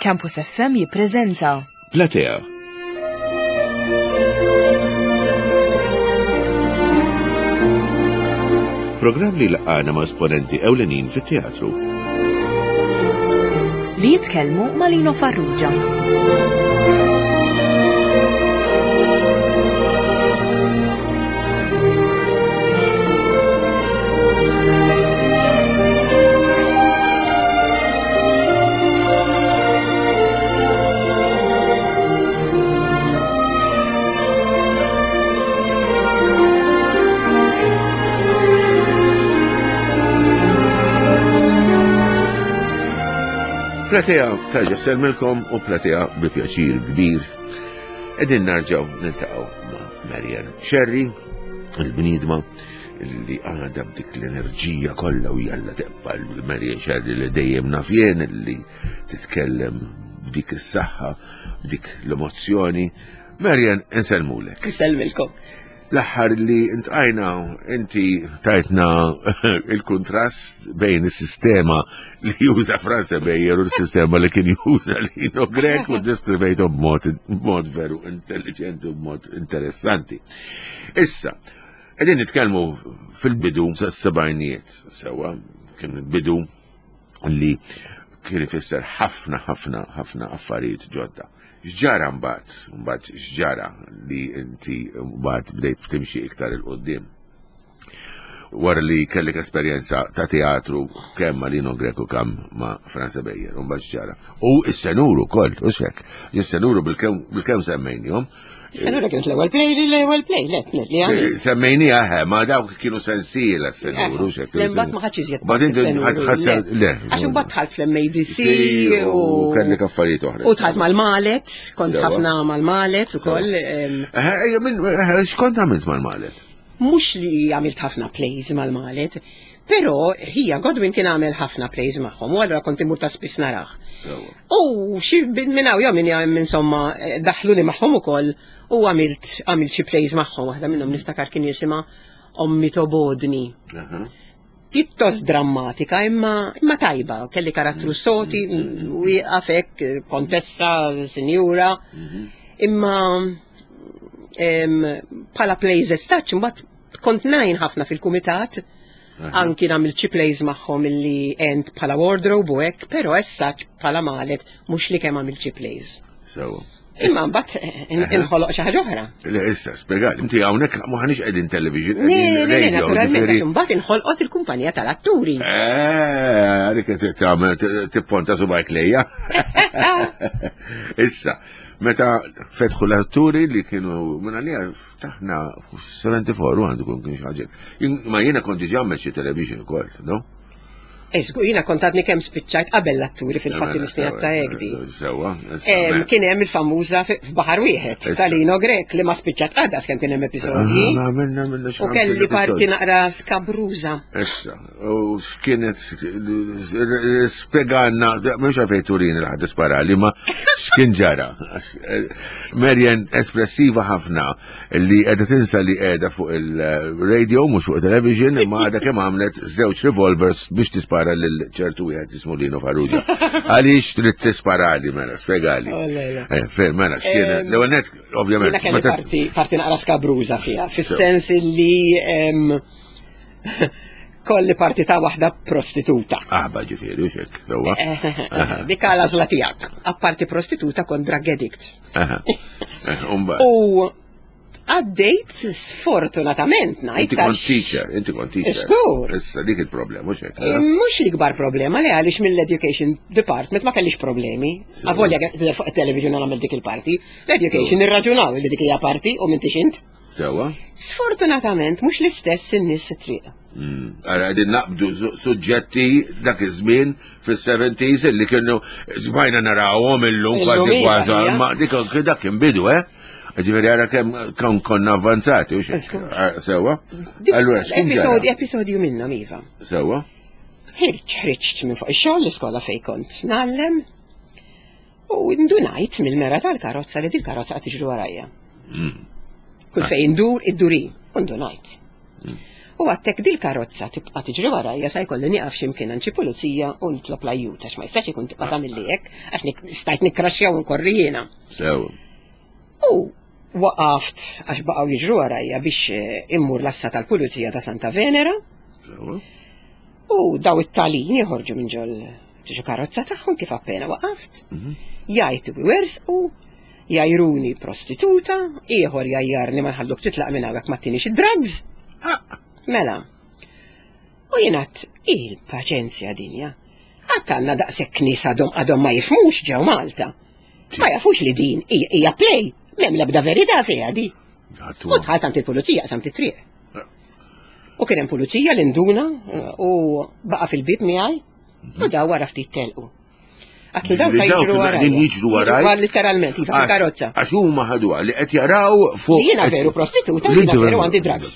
Campus FM jippreżenta Platea. Programm li laqgħana ma' esponenti ewlenin fit-teatru. Li jitkellmu ma' Lino Farrugia. Platea tarġa selmilkom u platea bi pjaċir kbir. Edin narġaw niltaqgħu ma' Marian Sherry, il-bniedma li għadha b'dik l-enerġija kollha u jalla tibqa' l-Marian Sherry li dejjem naf jien li titkellem b'dik is-saħħa, b'dik l-emozzjoni. Marian, insellmulek. Insellmilkom. L-aħħar li intqajna inti tajtna il-kuntrast bejn is-sistema li juża Franza Bejer u l-sistema li kien juża Lino Grek u deskrivejtu b'mod veru intelligenti u b'mod interessanti. Issa, Qegħdin nitkellmu fil-bidu tas-sebgħinijiet sewwa, kien bidu li kien ifisser ħafna ħafna ħafna affarijiet ġodda. X'ġara mbagħad, mbagħad x'ġara li inti mbagħad bdejt timxi iktar il qudiem Wara li kellek esperjenza ta' teatru kemm ma' Lino Greco kemm ma' Franza Bejer, u mbagħad x'ġara. U s-senuru wkoll, u xek, is-senuru bil-kemm semmejnihom, Senura kienet l-ewwel play, l-ewwel play, le, li għamil. Eh, semmejnija, eh, ma dawk kienu sensiela s-senuru, xek. Mbagħad ma ħadx iżjed. Mbagħad inti ħadd le. Għax imbagħad dħalt fl-MADC u kellek affarijiet oħra. U dħalt mal-Malet, kont ħafna mal-Malet ukoll. Eh, x'kont għamilt mal-Malet? Mhux li għamilt ħafna plays mal-Malet, Però ħija Godwin kien għamel ħafna plays magħhom u allura kont imur ta' spiss narah. U xi minn hawn jew minn hemm insomma eh, daħluni magħhom ukoll u għamilt għamilt xi plays magħhom waħda minnhom niftakar kien jisimha Ommi Tobodni. Pjuttost drammatika imma imma tajba, kelli karattru mm. soti, mm, wieqaf hekk, kontessa, sinjura. Mhm. Imma bħala plays as such, mbagħad Kont ngħin ħafna fil-kumitat, anki nagħmel xi plays magħhom illi għent bħala wardrobe u hekk, però as such bħala malet mhux li kemm għamilt xi plays. Sewa. Imma mbagħad eh, inħoloq xi ħaġa oħra. Le issa spjegali, inti hawnhekk ma ħanix qegħdin television, qegħdin radio. Naturalment, għax imbagħad inħolqot il-kumpanija tal-atturi. Eh, għalik tagħmel tipponta subajk lejja. Issa, meta fetħu l-atturi li kienu minn għalija Taħna 74 u għandu kun kien xaġel. Ma jiena kont diġà għamel xi television ukoll, no? Eżgu, jiena kont għadni kemm spiċċajt qabel l-atturi fil-fatt il-snin ta' egdi. Sewa. Kien hemm il-famuża f'baħar wieħed tal-Ino Grek li ma spiċċat għadha kemm kien hemm episodji. Ah, u kelli parti naqra skabruża. Issa, u x'kienet spjegalna, mhux għalfejn turini li ħadd isparali, ma x'kien ġara. Marian espressiva ħafna li qiegħda tinsa li qiegħda fuq il-radio mhux fuq television imma għadha kemm għamlet żewġ revolvers biex tispara lil ċertu wieħed jismu Lino Farrugia. Għaliex trid tisparali mela, spjegali. Oh, eh, Fejn mela x'kien l-ewwel net ovvjament. Parti parti naqra skabruża fiha, fis-sens li kolli parti ta' waħda prostituta. Aħba ġifieri, u xek, sewwa. Eh, eh, eh, dik għal għażla tiegħek. Apparti prostituta kont drug addict. U għaddejt sfortunatament ngħid. Inti kont teacher, inti kont teacher. Skur. Issa dik il-problema, mhux hekk. Mhux l-ikbar problema li għaliex mill-education department ma kellix problemi. Avolja fuq it-television għamel dik il-parti. L-education irraġunaw li dik hija parti u m'intix int. Sewa. Sfortunatament mhux l-istess in-nies fit-triq. Hmm. Ara qegħdin naqbdu suġġetti dak iż-żmien fis-70s li kienu żbajna narawhom illum kważi iva, kważi ma dik dak kien bidu, eh? Ġifieri ara kemm kemm konna avvanzati u xejn. Ah, sewa. Allura episodju episodju minnhom iva. Sewa. Ħirġ ħriġt minn fuq ix-xogħol l-iskola fejn kont ngħallem. U ndunajt mill-mera tal-karozza li dil-karozza qed tiġri warajja. Mm. Kull fejn ndur, idduri, u ndunajt. Mm. U għattek dil-karozza tibqa' tiġri warajja sa jkolli nieqaf x'imkien għand xi pulizija u nitlob l-ajjut għax ma jistax ikun tibqa' tagħmilli hekk għax stajt nikkraxxja u nkorri jiena. Sew. U waqaft għax baqgħu jiġru warajja biex eh, immur l-assa tal-pulizija ta' Santa Venera. Sew. U daw it-talin joħorġu minn ġol xi karozza tagħhom kif appena waqaft. Mhm. Jgħajtu u Jgħajruni prostituta, ieħor jgħajjarni ma nħalluk titlaq minn hawnhekk ma tinix id-drugs. Ah! Mela. U jien għadt il-paċenzja dinja. Għadd għandna daqshekk nies għadhom għadhom ma jifhmux ġew Malta. Ma jafux li din hija play, m'hemm l-ebda verità fiha di. U dħalt għand il-pulizija qsamt it-triq. U kien hemm pulizija li nduna u baqa' fil-bib miegħi u daw wara ftit telqu. Għatlu daw sa jiġru wara. Din jiġru wara. Literalment, iva karozza. Għax huma ħaduha li qed jaraw fuq. Jiena veru prostituta, jiena veru għandi drugs.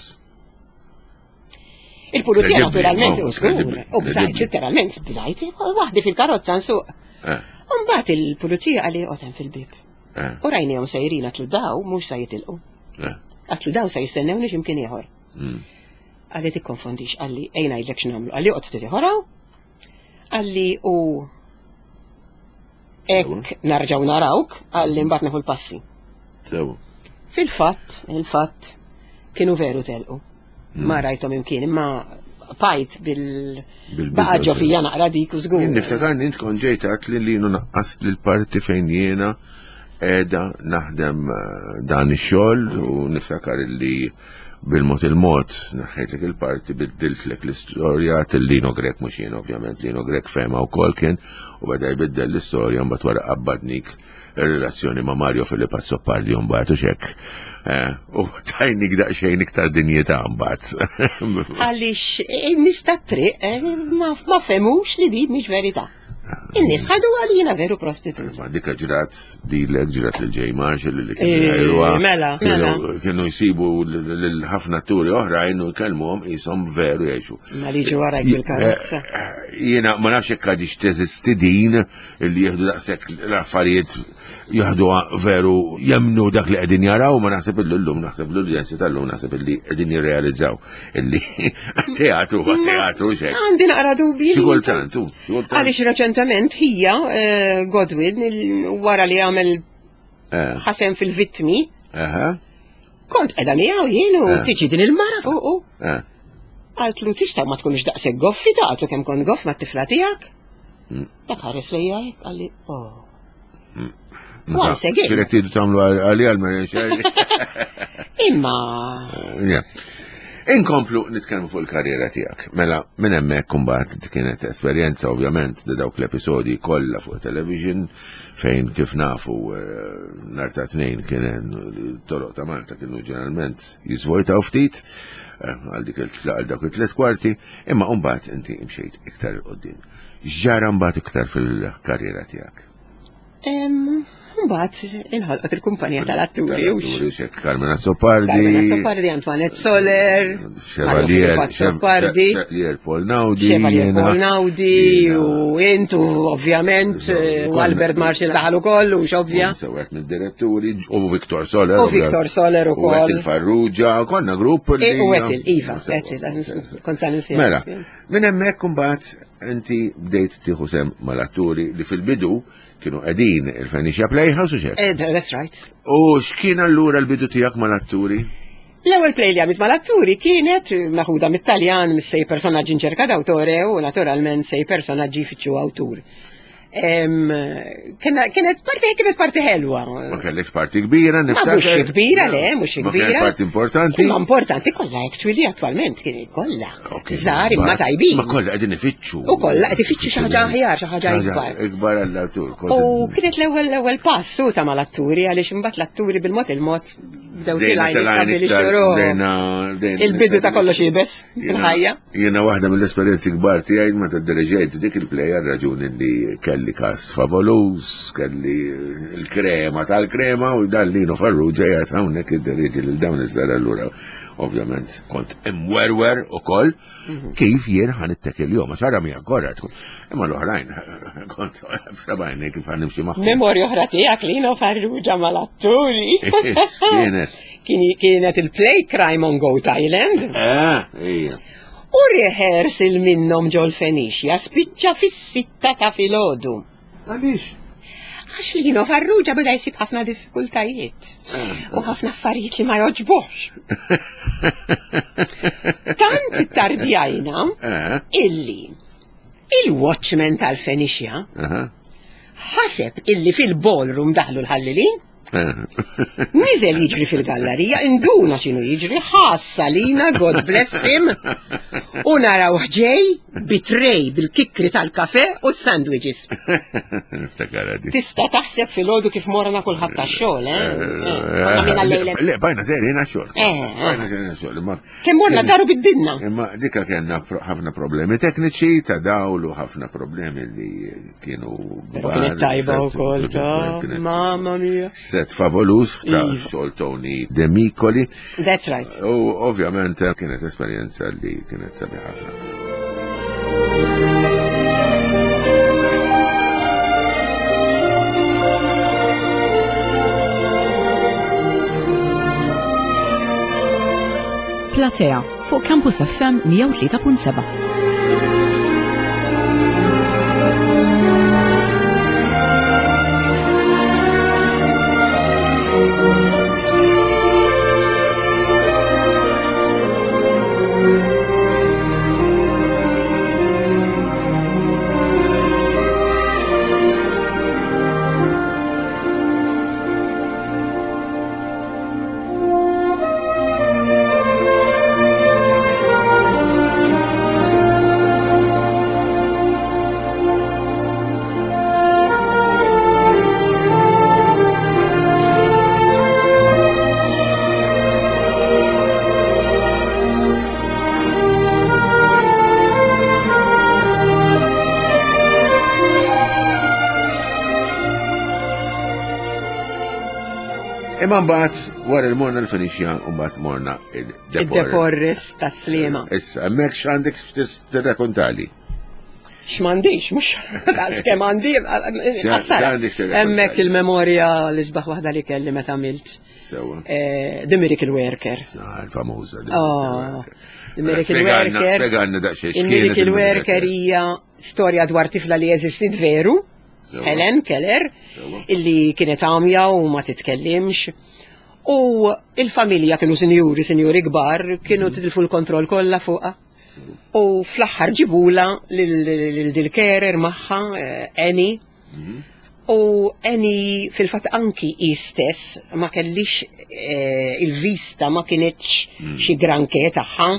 Il-pulizija naturalment, u skur, u bżajt, literalment, bżajt, waħdi fil-karozza nsuq. Eh. Umbagħad il-pulizija għalli qotem fil-bib. Eh. U rajnihom sejrin għatlu daw mhux sa jitilqu. Eh. Għatlu daw sa jistennewni x'imkien ieħor. Hmm. Għalli tikkonfondix, għalli ejna jgħidlek x'nagħmlu, għalli qod ftit ieħor Għalli u hekk narġaw narawk, għalli mbagħad neħu l-passi. Sew. Fil-fatt, il-fatt, kienu veru telqu. Hmm. Ma rajthom imkien, imma pajt bil baqa ġo fija naqra dik u żgur. Niftakar int kont ġejt għat li li naqqas l-parti fejn jiena qiegħda naħdem eh, dan ix-xogħol u niftakar li Bil-mod il-mod, naħħejtlek il-parti, biddiltlek l-istorja, til-Lino Grek mhux jien ovvjament, Lino Grek fehma wkoll kien u beda jbiddel l-istorja mbagħad wara qabbadnik ir-relazzjoni ma' Mario Filip Azzopardi mbagħad u xek. Eh, u tajnik daqsxejn iktar dinjità mbagħad. Għaliex in-nies tat-triq eh, ma fehmux li din mhix verità. In-nies ħadu għalina veru prostituta. Ma dika ġrat dilek ġrat lil Jay Marshall li kienu eh, jgħiruha. Mela, mela. Kienu jsibu lil ħafna atturi oħrajn u jkellmuhom qishom veru jgħixu. Ma li ġu warajk bil-karozza. Eh, jiena ma nafx hekk għadix teżisti din li jieħdu daqshekk l-affarijiet jieħduha veru jemnu dak li qegħdin jaraw ma naħseb illi llum naħseb l-udjenzi tal-lum naħseb illi qegħdin jirrealizzaw illi teatru ma teatru xejn. Għandi naqra dubji. Xi kultant, xi kultant. Għaliex reċentement hija eh, Godwin wara li għamel eh. ħasem fil-vittmi. Kont qiegħda miegħu jien u eh. tiġi din il-mara fuqu. Għaltlu tista' ma tkunx daqshekk goffi ta' għaltlu kemm kont goff mat-tifla tiegħek. Mm. Dak ħares lejja hekk qalli, oh. Mm. Once again. Kienet tidu tagħmlu għalija għal-Marian Sherry. Imma. Eh, Inkomplu nitkellmu fuq il-karriera tiegħek. Mela, minn hemmhekk imbagħad kienet esperjenza ovvjament di dawk l-episodji kollha fuq television fejn kif nafu eh, nhar ta' tnejn kien toroq ta' Malta kienu ġeneralment jiżvojtaw ftit eh, għal dik għal dawk it-tliet kwarti, imma mbagħad inti imxejt iktar il qoddim. X'ġara mbagħad iktar fil-karriera tiegħek? Mbagħad inħolqot il-kumpanija tal-atturi. Tal-atturi, xek Carmen Azzopardi. Carmen Azzopardi, Antoinette Soler, Chevalier Azzopardi, Chevalier Paul Naudi. Chevalier Paul Naudi, u intu ovvjament, u Albert Marshall daħal ukoll, u xovja. Sewet mid-diretturi, u Victor Soler. U Victor Soler ukoll. U Etil Farrugia, konna grupp. E, u Etil, Iva, Etil, kont sa Mela, minn hemmhekk imbagħad Inti bdejt tieħu sem mal-atturi li fil-bidu kienu qegħdin il-Phoenicia Playhouse u xek. Eh, that's right. U x'kien allura l-bidu tiegħek mal-atturi? L-ewwel play li għamilt mal-atturi kienet meħuda mit-Taljan mis-sei personaġġi inċerka d'autore u naturalment sei personaġġi jfittxu awtur. Kienet parti kienet parti ħelwa. Ma kellekx parti kbira, niftakar. Mhux kbira, le, mhux kbira. Ma parti importanti. Ma importanti kollha actually attwalment kien kollha. Żgħar imma tajbin. Ma kollha qegħdin ifittxu. U kollha qed ifittxu xi ħaġa aħjar, xi ħaġa ikbar. Ikbar għall-attur. U kienet l-ewwel l-ewwel pass u ta' mal-atturi għaliex imbagħad l-atturi bil-mod il-mod bdew tilgħin jistabilixxu Il-bidu ta' kollox ibes fil-ħajja. Jiena waħda mill-esperjenzi kbar tiegħi meta diriġejt dik il-play għal raġuni li kelli kas favoluż, kelli l-krema tal-krema u dan Lino Farrugia qiegħed hawnhekk iddiriġi lil dawn iż-żgħar allura. Ovvjament kont imwerwer ukoll mhm. kif jien ħan ittekil jom, għax ara mija korra tkun. Imma l-oħrajn kont sabajni kif ħan nimxi magħhom. Memorja oħra tiegħek li jiena Farrugia mal-atturi. Kienet. Kienet il-play Crime on Goat Island. Eh, U rehearsal minnhom ġol Fenicia spiċċa fis-sitta ta' filgħodu. Għaliex? Għax Lino Farrugia beda jsib ħafna diffikultajiet u ħafna affarijiet li ma joġbux. Tant tardjajna eh. illi il-watchman tal-Fenicia ħaseb illi fil-ballroom daħlu l-ħallilin Niżel jiġri fil-gallerija, induna x'inhu jiġri, ħassa lina, God bless him, u naraw ħġej bitrej bil-kikri tal-kafe u s-sandwiches. Tista' taħseb fil-ħodu kif morna kulħadd tax-xogħol, eh? eh, eh Le, bajna sejrin għax-xogħol. Eh, bajna sejrin għax-xogħol. Kemm morna daru biddinna. Imma dika kellna ħafna problemi tekniċi ta' dawl u ħafna problemi li kienu. Però kienet tajba wkoll ta' mamma mia. Set favolus ta' iva. xogħol Tony Demicoli. That's right. U ovvjament kienet esperjenza li kienet sabiħ ħafna. Platea fuq Campus FM 103.7. Imma mbagħad wara li morna l-Fenixja u mbagħad morna il-Deporres ta' Sliema. Issa, hemmhekk x'għandek tirrakontali? X'm'għandix, mhux daqs kemm għandi. Hemmhekk il-memorja li sbaħ waħda li kelli meta għamilt. Sewa. Eh, The Miracle Worker. Ah, il-famuża. Oh, The Miracle Worker. Spjegalna daqsxejn. Il-Miracle Worker hija storja dwar tifla li jeżistit veru. Helen Keller, illi kienet għamja u ma titkellimx. U il-familja kienu sinjuri, sinjuri kbar, kienu mhm. tilfu l-kontroll kollha fuqha. U fl-aħħar ġibula lil dil-carer magħha, eh, Annie. Mhm. U Annie fil-fatt anki hi stess ma kellix eh, il-vista ma kienetx mhm. xi granke tagħha.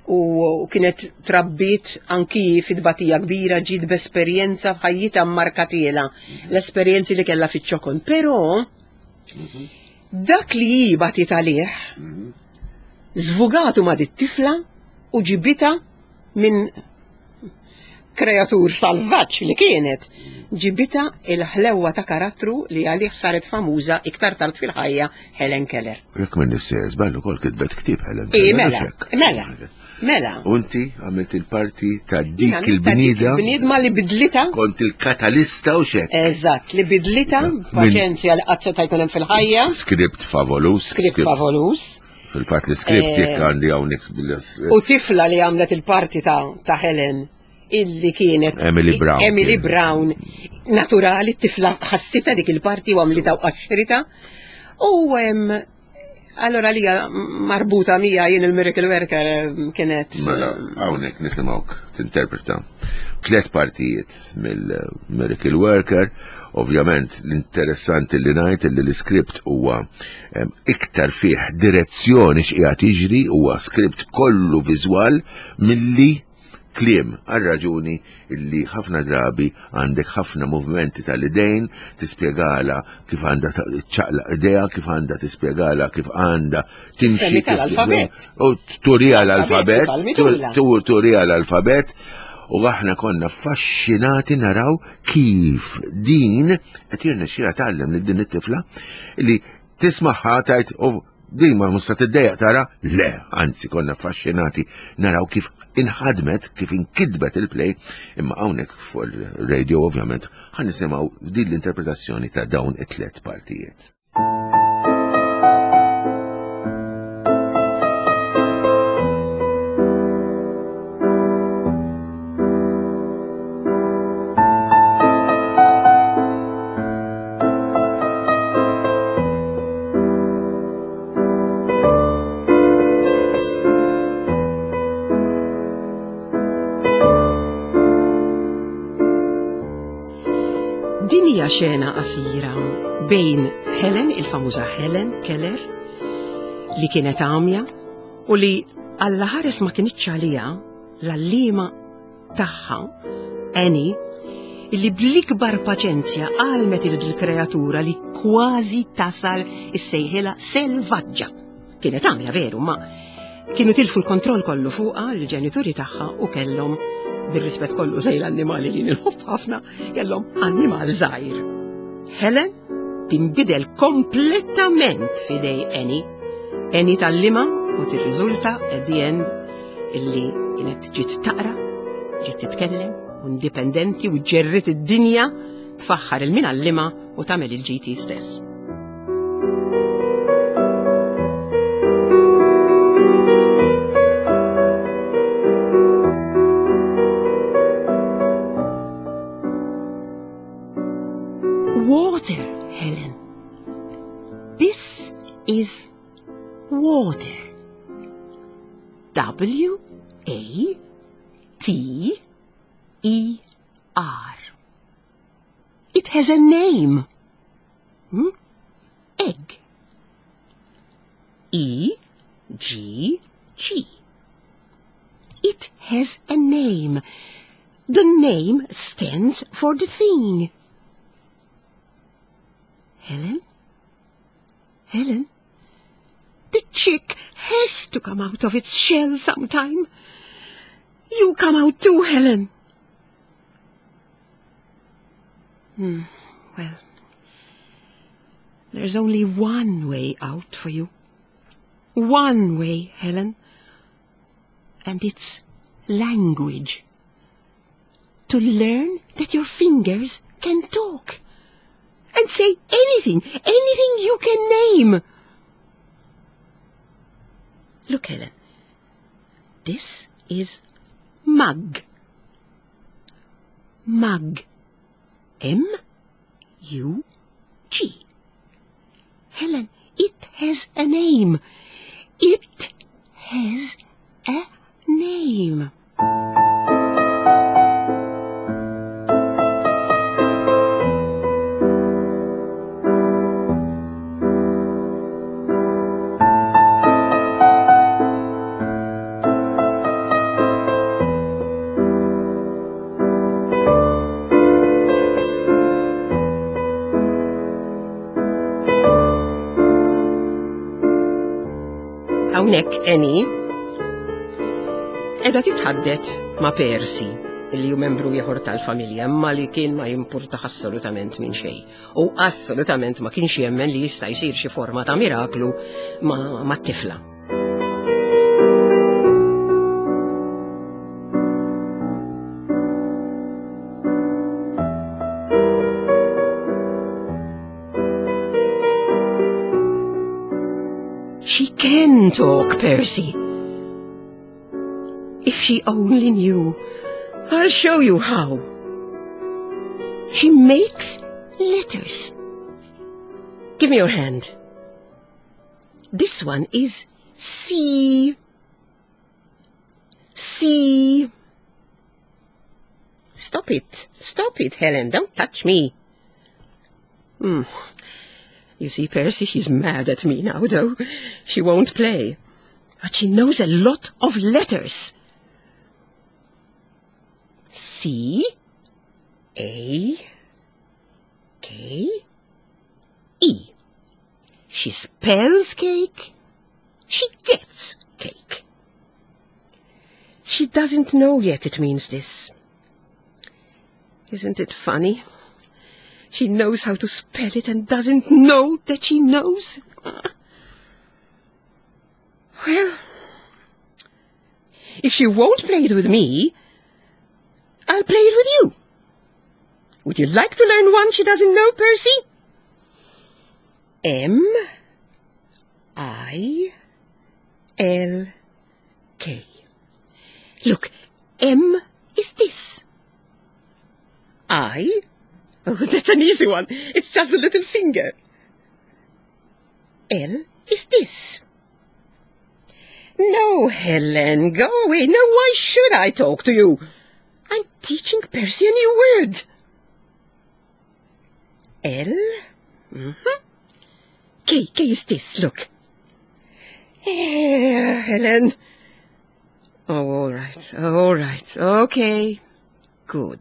U kienet trabbit anki fid-batija kbira ġiet b'esperjenza f'ħajjitha mmarkatiela l-esperjenzi li kellha fiċ-ċokon. Però dak li hi batit għalih żvugatu ma' dit-tifla u ġibitha minn kreatur salvaġġ li kienet, ġibitha il-ħlewwa ta' karattru li għalih saret famuża iktar tard fil-ħajja Helen Keller. Jekk minn nissejjer żball ukoll kitbet ktieb Helen Keller. Mela, mela, mela. Unti għamilt il-parti ta' dik il-bnieda. Il-bniedma li bidlita. Kont il-katalista u xek. Eżatt, li bidlita paċenzja li qatt seta' jkun hemm fil-ħajja. Skript favolus. Skript favolus. Fil-fatt l-iskript jekk eh, għandi hawnhekk bil U tifla li għamlet il-parti ta' Helen illi kienet Emily Brown. Emily Brown naturali t-tifla ħassita dik il-parti u għamlita u qaxrita. U allora li marbuta mija jien il-Miracle Worker kienet. Mela, hawnhekk nisimgħuk tinterpreta tliet partijiet mill-Miracle Worker. Ovvjament l-interessanti li ngħid li l-iskript huwa iktar fih direzzjoni x'qiegħed jiġri huwa skript kollu viżwal milli kliem għal raġuni illi ħafna drabi għandek ħafna movimenti tal-idejn, tispjegala kif għandha ċaqla idea, kif għandha tispjegala kif għandha timxi. L-alfabet. U turija l-alfabet, turija l-alfabet, u aħna konna affaxxinati naraw kif din qed jirnexxilha tgħallem lil din it-tifla li tismagħha tgħid oh, Din ma musta tiddejjaq tara? Le, anzi konna affaxxinati naraw kif inħadmet, kif inkitbet il-play, imma hawnhekk fuq il-radio ovvjament ħa nisimgħu din l-interpretazzjoni ta' dawn it-tliet partijiet. Din hija xena qasira bejn Helen, il-famuża Helen Keller, li kienet għamja u li Alla ħares ma kinitx għaliha l-għalliema tagħha, Annie, illi bl-ikbar paċenzja għalmet il-kreatura li kważi tasal issejħilha selvaġġa. Kienet għamja veru, ma kienu tilfu l-kontroll kollu fuqha l-ġenituri tagħha u kellhom bir-rispett kollu lejn l-annimali li nħobb ħafna, kellhom annimal żgħir. Helen tinbidel kompletament f'idej Annie. Annie tgħallimha u tirriżulta at the end illi kienet ġiet taqra, ġiet titkellem, u indipendenti u ġerrit id-dinja tfaħħar il-min għallima u tagħmel il-GT stess. Water, Helen. This is water. W A T E R. It has a name. Hmm? Egg. E G G. It has a name. The name stands for the thing. Helen? Helen? The chick has to come out of its shell sometime. You come out too, Helen. Well, there's only one way out for you. One way, Helen. And it's language. To learn that your fingers can talk. And say anything, anything you can name. Look, Helen. This is mug. Mug. M-U-G. Helen, it has a name. It has a name. Hawnhekk Annie qiegħda titħaddet ma' Percy li hu membru ieħor tal-familja imma li kien ma jimpurtax assolutament minn xejn. U assolutament ma kienx jemmen li jista' jsir xi forma ta' miraklu ma' tifla. She can talk, Percy. If she only knew. I'll show you how. She makes letters. Give me your hand. This one is C. C. Stop it. Stop it, Helen. Don't touch me. You see, Percy, she's mad at me now, though. She won't play. But she knows a lot of letters. C A K E. She spells cake. She gets cake. She doesn't know yet it means this. Isn't it funny? She knows how to spell it and doesn't know that she knows. If she won't play it with me, I'll play it with you. Would you like to learn one she doesn't know, Percy? M I L K. Look, M is this. I? Oh, that's an easy one. It's just a little finger. L is this. No, Helen, go away. No, why should I talk to you? I'm teaching Percy a new word. L? Mm-hmm. K, K is this, look. Eh, Helen. Oh, all right, all right, okay. Good.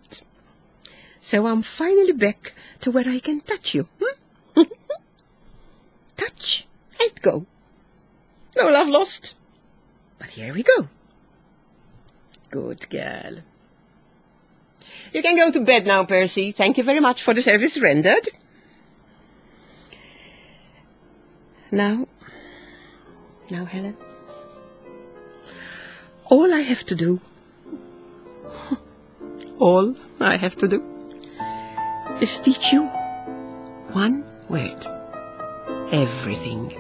So I'm finally back to where I can touch you. Hmm? touch and go. No love lost. But here we go. Good girl. You can go to bed now, Percy. Thank you very much for the service rendered. Now, now, Helen, all I have to do, all I have to do, is teach you one word. Everything.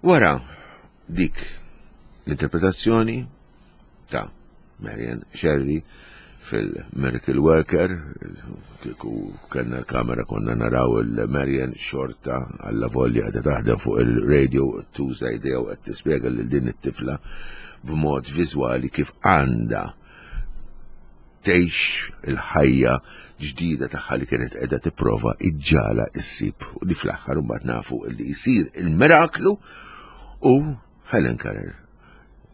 Wara dik l-interpretazzjoni ta' Marian Sherry fil-Miracle Worker, kieku kellna l-kamera konna naraw il-Marian xorta għalla volja għadha taħdem fuq il-radio tuża idea u qed tispjega lil din it-tifla b'mod viżwali kif għandha tgħix il-ħajja ġdida tagħha li kienet qiegħda tipprova iġġala issib u li fl-aħħar imbagħad nafu li jsir il-miraklu u Helen Keller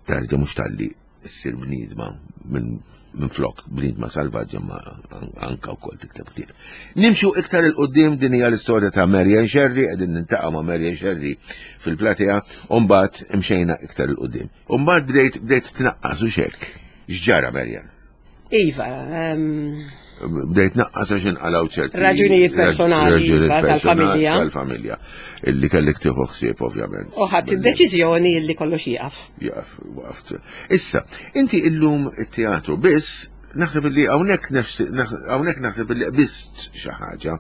terġa' mhux talli ssir bniedma minn minn flok bniedma salvaġġa ma anka wkoll tikteb ktieb. Nimxu iktar il-qudiem din hija l-istorja ta' Marian Sherry, qegħdin nintaqgħu ma' Marian Sherry fil-platea, u mbagħad imxejna iktar il-qudiem. U mbagħad bdejt bdejt tnaqqas u xek. X'ġara Marian? Iva. Bdejt naqqas għax inqalgħu ċerti. Raġunijiet personali iva, tal-familja. Tal-familja. Illi kellek tieħu ħsieb ovvjament. U ħadd id-deċiżjoni illi kollox jieqaf. Jieqaf, waqft. Issa, inti illum it-teatru biss naħseb li hawnhekk hawnhekk naħseb li qbist xi ħaġa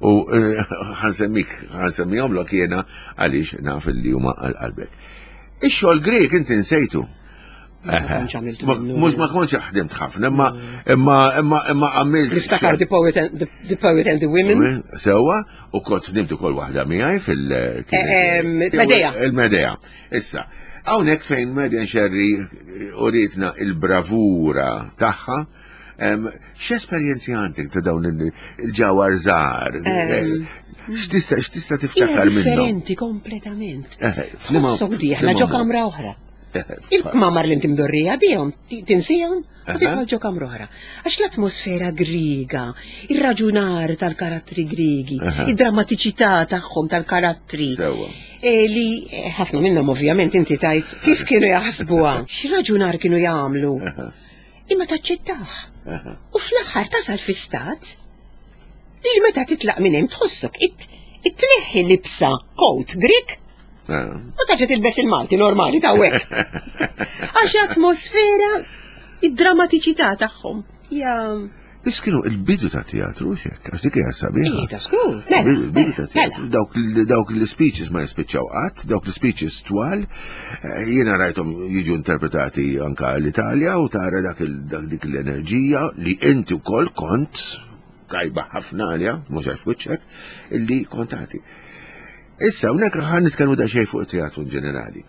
u eh, ħansemmik ħansemmihomlok jiena għaliex naf li huma għal qalbek. Ix-xogħol Grek inti nsejtu. Mux ma kontx ħdimt ħafna, imma imma imma imma għamilt. Niftakar The Poet and the, Poet and the Women. Sewa, u kont ħdimt ukoll waħda miegħi fil- eh, Medea. Il-Medea. Issa, hawnhekk fejn Marian Sherry uritna il-bravura tagħha, x'esperjenzi għandek ta' dawn il-ġawar żgħar? X'tista' x'tista' tiftakar minnhom? Differenti kompletament. Tħossok dieħla ġo kamra oħra. Il-kmamar li inti mdorrija bihom, tinsihom u tidħol ġo kamra oħra. Għax l-atmosfera griega, ir-raġunar tal-karattri griegi, id-drammatiċità tagħhom tal-karattri. E, li e, ħafna minnhom ovvjament inti tajt kif kienu jaħsbuha, x'raġunar kienu jagħmlu. Imma taċċettah. U fl-aħħar tasal fi stat li meta titlaq minn hemm tħossok it-tneħħi libsa coat Grik U taġa tilbes il-Malti normali ta' hekk. Għax atmosfera id-drammatiċità tagħhom. Ja. Biss kienu il-bidu ta' teatru xek, għax dik hija sabiħa. Ija, skur. Mela, Il-bidu ta' mela, teatru, dawk l-speeches ma jispiċċaw qatt, dawk l-speeches twal, eh, jiena rajthom jiġu interpretati anka l-Italja u tara dak dik l-enerġija li inti wkoll kont tajba ħafna għalja, mhux għax wiċċek, illi kont tagħti. Issa, hawnhekk ħa nitkellmu daqsxejn fuq it-teatru in ġenerali.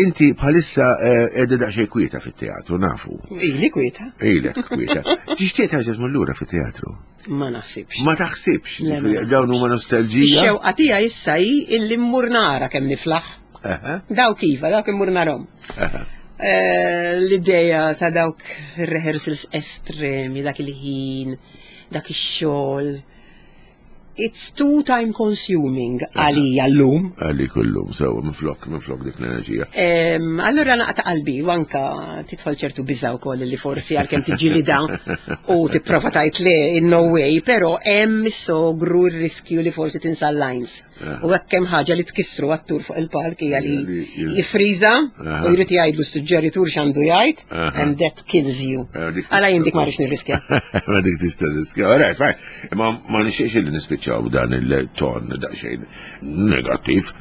Inti bħalissa eh, qiegħda daqsxejn kwieta fit-teatru, nafu. Ili kwieta. Ilek kwieta. Tixtieq terġa' tmur lura fit-teatru? Ma naħsibx. Ma taħsibx, dawn huma nostalġija. Ix-xewqa tiegħi issa hi illi mmur nara kemm niflaħ. Dawk iva, dawk immur narhom. Eh, l-ideja ta' dawk rehearsals estremi, dak il-ħin, dak ix-xogħol. It's too time consuming għalija llum. Għalik illum, sewa, minflok, minflok dik l-enerġija. Allura naqta' qalbi u anka tidħol ċertu biża' wkoll li forsi għalkemm tiġġilida u tipprova tgħid le in no way, però hemm is-sogru r-riskju li forsi tinsa l-lines. Eh. U hekk hemm ħaġa li tkissru attur fuq il-palk hija li jifriża u jrid jgħidlu s-suġġeritur x'għandu jgħid and that kills you. Eh, Għala jien dik ma rridx nirriskja. Ma dik tix tirriskja. All right, fine. Imma ma nixtieqx li nispiċċaw dan il-ton daqsxejn negattiv.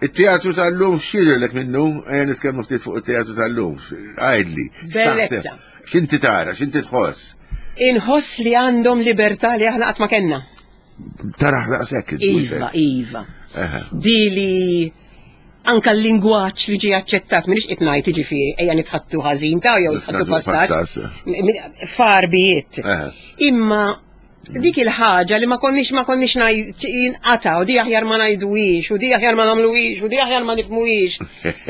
Il-teatru tal-lum x'jidhirlek minnu? Ejja nitkellmu ftit fuq it-teatru tal-lum. Għidli. Bellezza. X'inti tara, x'inti tħoss? Inħoss li għandhom libertà li aħna qatt ma kellna. Taraħ daqshekk. Iva, iva. Di li anka l-lingwaġġ li ġie aċċettat minix qed ngħid jiġifieri ejja nitħattu ħażin ta' jew nitħattu pastaċ. Farbijiet. Imma dik il-ħaġa li ma konniex ma konniex jinqata u di aħjar ma ngħiduhiex u di aħjar ma nagħmluhiex u di aħjar ma nifhmuhiex.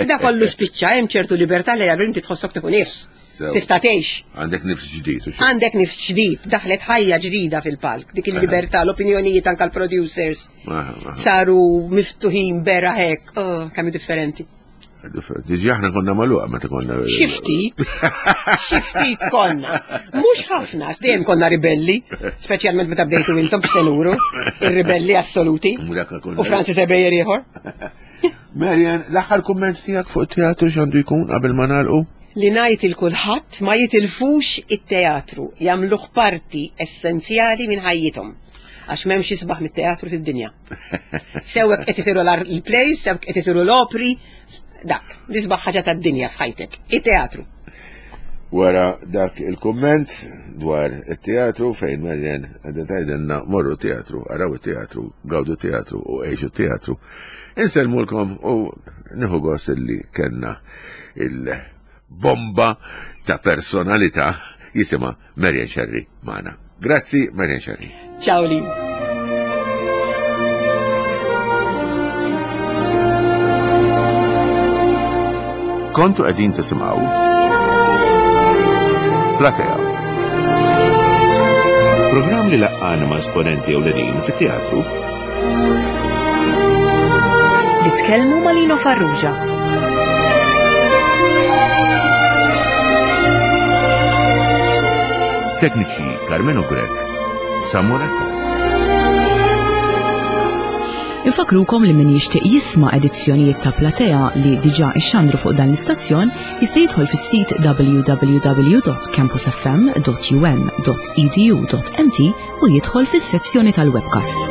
Da kollu spiċċa hemm ċertu libertà li għallu inti tħossok tieħu nifs. Tista' tgħix. Għandek nifs ġdid. Għandek nifs ġdid, daħlet ħajja ġdida fil-palk, dik il-libertà, l-opinjonijiet anke l-producers saru miftuħin bera hekk, oh, kemm differenti. Diġi aħna konna maluqa meta konna. Xi ftit. Xi ftit konna. Mhux ħafna, dejjem konna ribelli, speċjalment meta bdejtu intom b'senuru, ir-ribelli assoluti. U Francis Ebejer ieħor. Marian, l-aħħar kumment tiegħek fuq it-teatru x'għandu jkun qabel ma nagħlqu? Li ngħid il kulħadd ma jitilfux it-teatru, jagħmluh parti essenzjali minn ħajjithom. Għax m'hemmx isbaħ mit-teatru fid-dinja. Sew hekk qed isiru l-plays, sew qed isiru l-opri, dak, l-isbaħ ħaġa tad-dinja f'ħajtek, it-teatru. Wara dak il-kumment dwar it-teatru fejn Marian qegħda tgħidilna morru teatru, araw it-teatru, gawdu teatru u għixu teatru. Insellmulkom u nieħu gost illi kellna il-bomba ta' personalità jisimha Marian Scerri magħna. Grazzi Marian Scerri. Ciao Lin. Kontu qegħdin tisimgħu Platea. Programm li laqqana ma' esponenti ewlenin fit-teatru Li tkellmu ma' Lino Farrugia. Tekniċi Carmenu Grech, Samuel Infakrukom li min jixtieq jisma' edizzjonijiet ta' Platea li diġà ixxandru fuq dan l-istazzjon jista' jidħol fis-sit www.campusfm.um.edu.mt u jidħol fis-sezzjoni tal-webcasts.